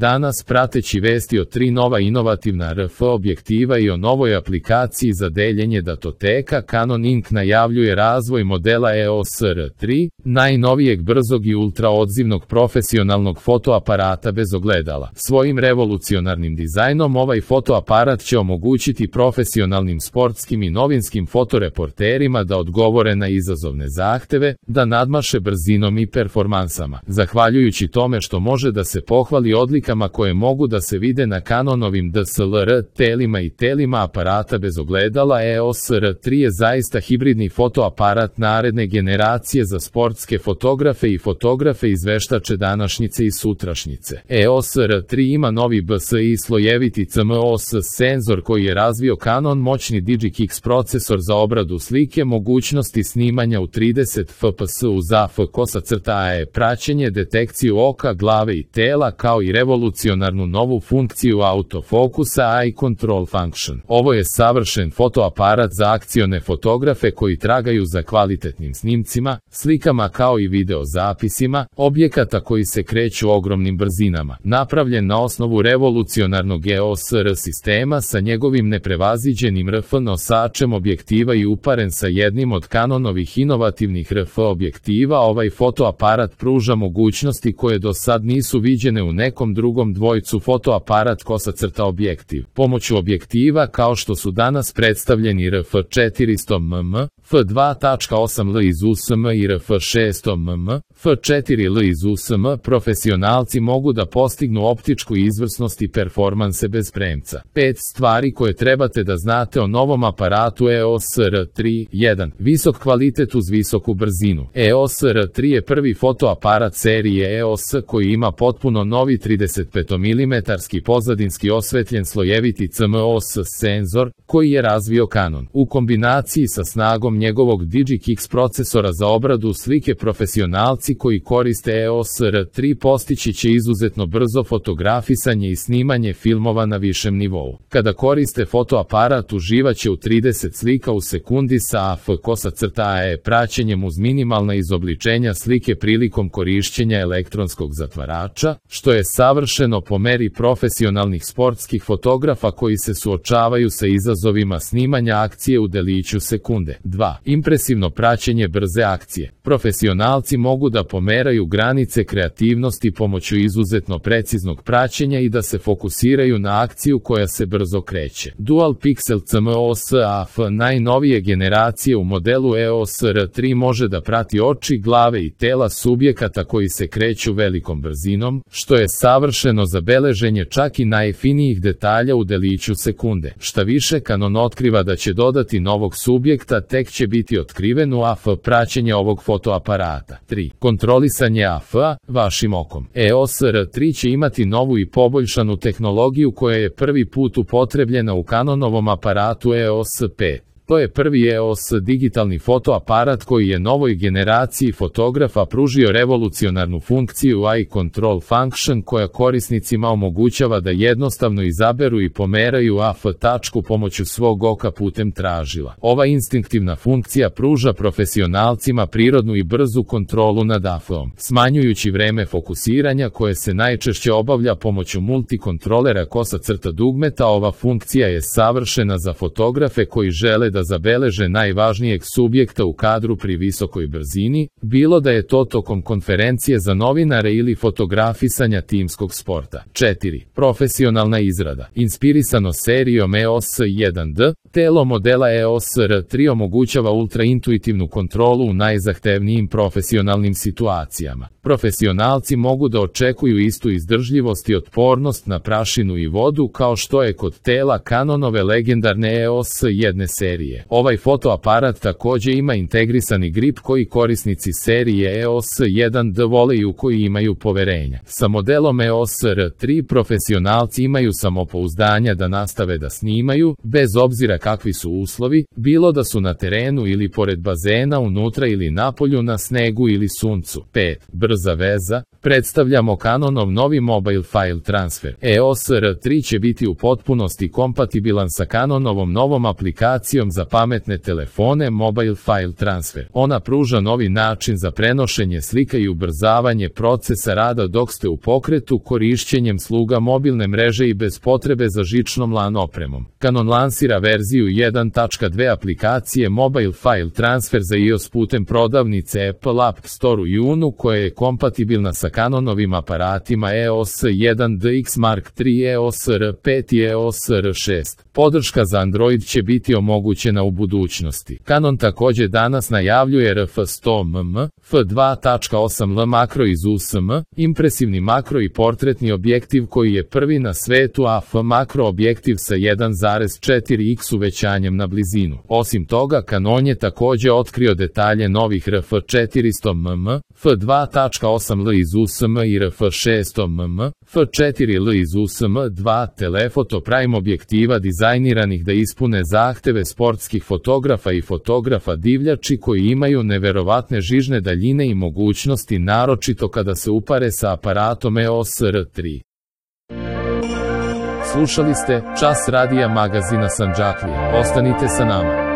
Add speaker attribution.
Speaker 1: Danas prateći vesti o 3 nova inovativna RF objektiva i o novoj aplikaciji za deljenje datoteka, Canon Inc. najavljuje razvoj modela EOS R3, najnovijeg brzog i ultraodzivnog profesionalnog fotoaparata bez ogledala. Svojim revolucionarnim dizajnom ovaj fotoaparat će omogućiti profesionalnim sportskim i novinskim fotoreporterima da odgovore na izazovne zahteve, da nadmaše brzinom i performansama. Zahvaljujući tome što može da se pohvali odlikama koje mogu da se vide na Canonovim DSLR telima i telima aparata bez ogledala, EOS R3 je zaista hibridni fotoaparat naredne generacije za sportske fotografe i fotografe izveštače današnjice i sutrašnjice. EOS R3 ima novi BSI slojeviti CMOS senzor koji je razvio Canon, moćni DigiKix procesor za obradu slike, mogućnosti snimanja u 30 fps uz AF-AE praćenje, detekciju oka, glave i tela, kao i revolucionarnu novu funkciju autofokusa Eye Control Function. Ovo je savršen fotoaparat za akcione fotografe koji tragaju za kvalitetnim snimcima, slikama kao i video zapisima, objekata koji se kreću ogromnim brzinama. Napravljen na osnovu revolucionarnog EOS R sistema sa njegovim neprevaziđenim RF nosačem objektiva i uparen sa jednim od Canonovih inovativnih RF objektiva, ovaj fotoaparat pruža mogućnosti koje do sad nisu viđene u nekom drugom dvojcu fotoaparat / objektiv. Pomoću objektiva kao što su danas predstavljeni RF 400 mm, f2.8L iz USM i RF 600 mm, f4L iz USM, profesionalci mogu da postignu optičku izvrsnost i performanse bez premca. 5 stvari koje trebate da znate o novom aparatu EOS R3. 1. Visok kvalitet uz visoku brzinu. EOS R3 je prvi fotoaparat serije EOS koji ima potpuno novi 35 mm pozadinski osvetljen slojeviti CMOS senzor koji je razvio Canon. U kombinaciji sa snagom njegovog DigiKix procesora za obradu slike, profesionalci koji koriste EOS R3 postići će izuzetno brzo fotografisanje i snimanje filmova na višem nivou. Kada koriste fotoaparat uživaće u 30 slika u sekundi sa AF-AE praćenjem uz minimalna izobličenja slike prilikom korišćenja elektronskog zatvarača, što je savršeno po meri profesionalnih sportskih fotografa koji se suočavaju sa izazovima snimanja akcije u deliću sekunde. 2. Impresivno praćenje brze akcije. Profesionalci mogu da pomeraju granice kreativnosti pomoću izuzetno preciznog praćenja i da se fokusiraju na akciju koja se brzo kreće. Dual Pixel CMOS AF najnovije generacije u modelu EOS R3 može da prati oči, glave i tela subjekata koji se kreću velikom brzinom, što je savršeno za beleženje čak i najfinijih detalja u deliću sekunde. Šta više, Canon otkriva da će dodati novog subjekta, tek će biti otkriven u AF praćenje ovog fotoaparata. 3. Kontrolisanje AF-a vašim okom. EOS R3 će imati novu i poboljšanu tehnologiju koja je prvi put upotrebljena u Canonovom aparatu EOS 5. To je prvi EOS digitalni fotoaparat koji je novoj generaciji fotografa pružio revolucionarnu funkciju Eye Control Function koja korisnicima omogućava da jednostavno izaberu i pomeraju AF tačku pomoću svog oka putem tražila. Ova instinktivna funkcija pruža profesionalcima prirodnu i brzu kontrolu nad AF-om, smanjujući vreme fokusiranja koje se najčešće obavlja pomoću multikontrolera / dugmeta. Ova funkcija je savršena za fotografe koji žele da zabeleže najvažnijeg subjekta u kadru pri visokoj brzini, bilo da je to tokom konferencije za novinare ili fotografisanja timskog sporta. 4. Profesionalna izrada. Inspirisano serijom EOS 1D, telo modela EOS R3 omogućava ultraintuitivnu kontrolu u najzahtevnijim profesionalnim situacijama. Profesionalci mogu da očekuju istu izdržljivost i otpornost na prašinu i vodu kao što je kod tela Canonove legendarne EOS 1 serije. Ovaj fotoaparat takođe ima integrisani grip koji korisnici serije EOS 1D vole i u koji imaju poverenja. Sa modelom EOS R3 profesionalci imaju samopouzdanja da nastave da snimaju, bez obzira kakvi su uslovi, bilo da su na terenu ili pored bazena, unutra ili napolju, na snegu ili suncu. 5. Brza veza. Predstavljamo Canonov novi Mobile File Transfer. EOS R3 će biti u potpunosti kompatibilan sa Canonovom novom aplikacijom za pametne telefone Mobile File Transfer. Ona pruža novi način za prenošenje slika i ubrzavanje procesa rada dok ste u pokretu korišćenjem sluga mobilne mreže i bez potrebe za žičnom LAN opremom. Canon lansira verziju 1.2 aplikacije Mobile File Transfer za iOS putem prodavnice Apple App Store u junu, koja je kompatibilna sa Canonovim aparatima EOS 1DX Mark III, EOS R5 i EOS R6. Podrška za Android će biti omogućena u budućnosti. Canon također danas najavljuje RF100mm, f2.8L makro iz USM, impresivni makro i portretni objektiv koji je prvi na svetu, a f makro objektiv sa 1.4x uvećanjem na blizinu. Osim toga, Canon je također otkrio detalje novih RF400mm, f2.8L iz USM i RF600mm, f4L iz USM, dva telefoto prime objektiva dizajniranih da ispune zahteve sportskih fotografa i fotografa divljači koji imaju neverovatne žižne daljine i mogućnosti, naročito kada se upare sa aparatom EOS R3. Slušali ste Čas radija magazina Sandžaklija. Ostanite sa nama.